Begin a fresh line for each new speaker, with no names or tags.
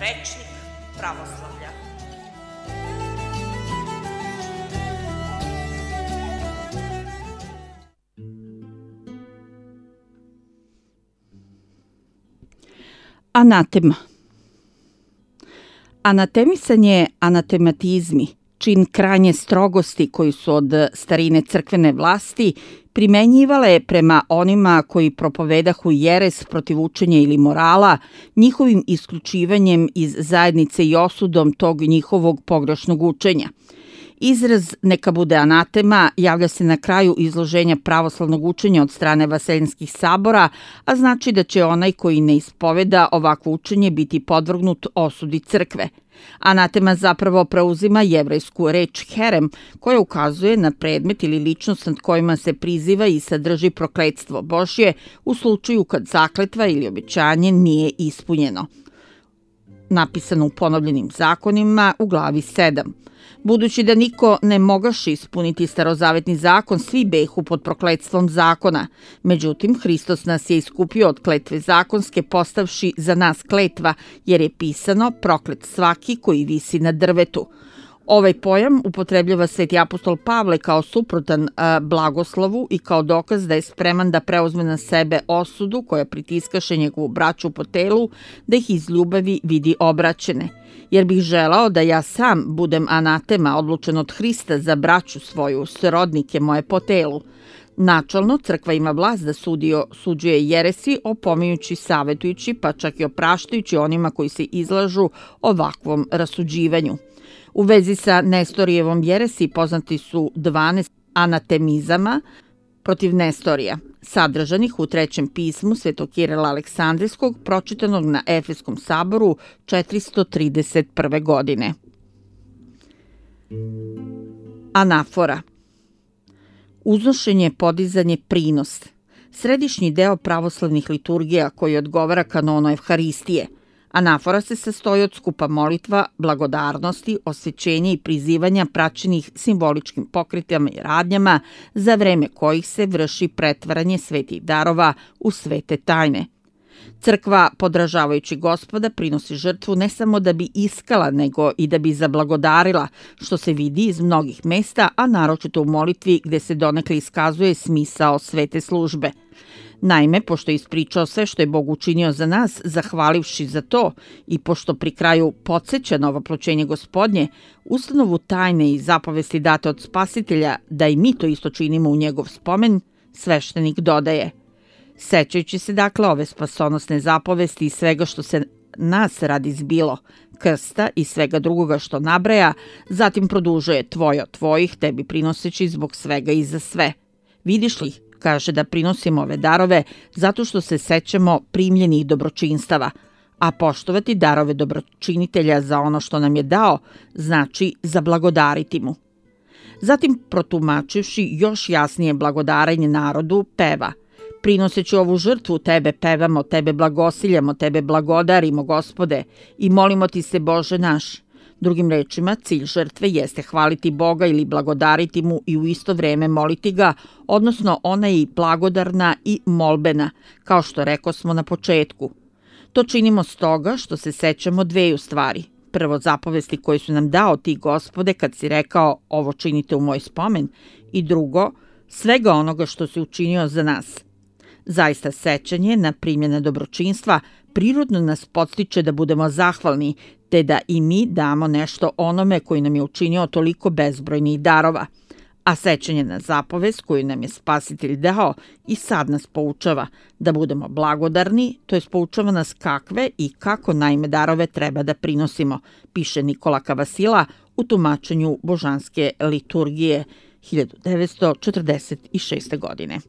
Rečnik pravoslavlja.
Anatema. Anatemisanje anatematizmi, čin krajnje strogosti koji su od starine crkvene vlasti primenjivale prema onima koji propovedahu jeres protiv učenja ili morala, njihovim isključivanjem iz zajednice i osudom tog njihovog pogrešnog učenja. Izraz neka bude anatema javlja se na kraju izloženja pravoslavnog učenja od strane vaseljenskih sabora, a znači da će onaj koji ne ispoveda ovakvo učenje biti podvrgnut osudi crkve. Anatema zapravo preuzima jevrejsku reč herem, koja ukazuje na predmet ili ličnost nad kojima se priziva i sadrži prokletstvo Božje u slučaju kad zakletva ili obećanje nije ispunjeno. Napisano u ponovljenim zakonima u glavi 7. Budući da niko ne mogaše ispuniti starozavetni zakon, svi behu pod prokletstvom zakona. Međutim, Hristos nas je iskupio od kletve zakonske, postavši za nas kletva, jer je pisano proklet svaki koji visi na drvetu. Ovaj pojam upotrebljava sveti apostol Pavle kao suprotan blagoslovu i kao dokaz da je spreman da preuzme na sebe osudu koja pritiskaše njegovu braću po telu, da ih iz ljubavi vidi obraćene. Jer bih želao da ja sam budem anatema odlučen od Hrista za braću svoju, srodnike moje po telu. Načalno, crkva ima vlast da suđuje jeresi, opominjući, savetujući, pa čak i opraštajući onima koji se izlažu ovakvom rasuđivanju. U vezi sa Nestorijevom jeresi poznati su 12 anatemizama protiv Nestorija, sadržanih u trećem pismu Svetog Kirila Aleksandrijskog, pročitanog na Efeskom saboru 431. godine. Anafora. Uznošenje, podizanje, prinos. Središnji deo pravoslavnih liturgija koji odgovara kanonu Evharistije. Anafora se sastoji od skupa molitva, blagodarnosti, osvećenja i prizivanja praćenih simboličkim pokretama i radnjama za vreme kojih se vrši pretvaranje svetih darova u svete tajne. Crkva, podražavajući Gospoda, prinosi žrtvu ne samo da bi iskala, nego i da bi zablagodarila, što se vidi iz mnogih mesta, a naročito u molitvi gde se donekle iskazuje smisao svete službe. Naime, pošto je ispričao sve što je Bog učinio za nas, zahvalivši za to i pošto pri kraju podsjeća na ovoploćenje Gospodnje, ustanovu tajne i zapovesti date od Spasitelja da i mi to isto činimo u njegov spomen, sveštenik dodaje: sećajući se dakle ove spasonosne zapovesti i svega što se nas radi zbilo, krsta i svega drugoga što nabraja, zatim produžuje tvoje od tvojih, tebi prinoseći zbog svega i za sve. Vidiš li, kaže, da prinosimo ove darove zato što se sećamo primljenih dobročinstava, a poštovati darove dobročinitelja za ono što nam je dao znači zablagodariti mu. Zatim, protumačivši još jasnije blagodarenje narodu, peva: prinoseći ovu žrtvu tebe pevamo, tebe blagosiljamo, tebe blagodarimo, Gospode, i molimo ti se, Bože naš. Drugim rečima, cilj žrtve jeste hvaliti Boga ili blagodariti mu i u isto vreme moliti ga, odnosno ona je i blagodarna i molbena, kao što rekosmo na početku. To činimo stoga što se sećamo dveju stvari. Prvo, zapovesti koje su nam dao ti, Gospode, kad si rekao ovo činite u moj spomen, i drugo, svega onoga što si učinio za nas. Zaista sećanje na primljene dobročinstva prirodno nas podstiče da budemo zahvalni, te da i mi damo nešto onome koji nam je učinio toliko bezbrojnih darova. A sećanje na zapovest koju nam je Spasitelj dao i sad nas poučava da budemo blagodarni, to jest poučava nas kakve i kako naime darove treba da prinosimo, piše Nikola Kavasila u tumačenju božanske liturgije 1946. godine.